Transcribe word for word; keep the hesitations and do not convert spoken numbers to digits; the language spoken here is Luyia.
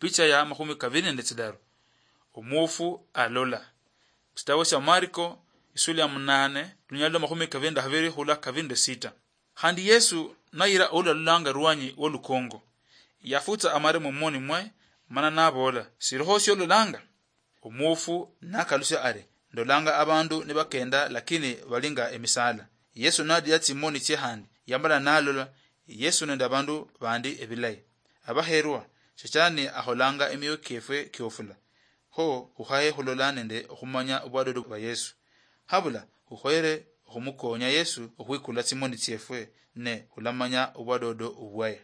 Picha ya makhumi kaviri nende tsidaru. Omuofu alola. Chitabo cha Mariko, isula ya munane, lunyalo lwa makhumi kaviri nende khaviri khula kaviri nende sita. Khandi Yesu nayira oulalolanga rwanyi wolukongo, yafutsa amare mumoni mwe, mana navola, "Siriho siololanga?" Omuofu nakalusia ari, "Ndolanga abandu nibakenda, lakini bali nga emisala." Yesu nadia tsimoni tsie khandi, yamala nalola Yesu nende abandu bandi ebilayi. Abaherwa, Shetani akholanga emioyo kiefwe kiofula. Kho khukhaye khulola nende okhumanya obwadodo bwa Yesu. Habula khukhoyere okhumukonya Yesu okhwikula tsimoni tsiefwe ne khulamanya obwadodo obwaye.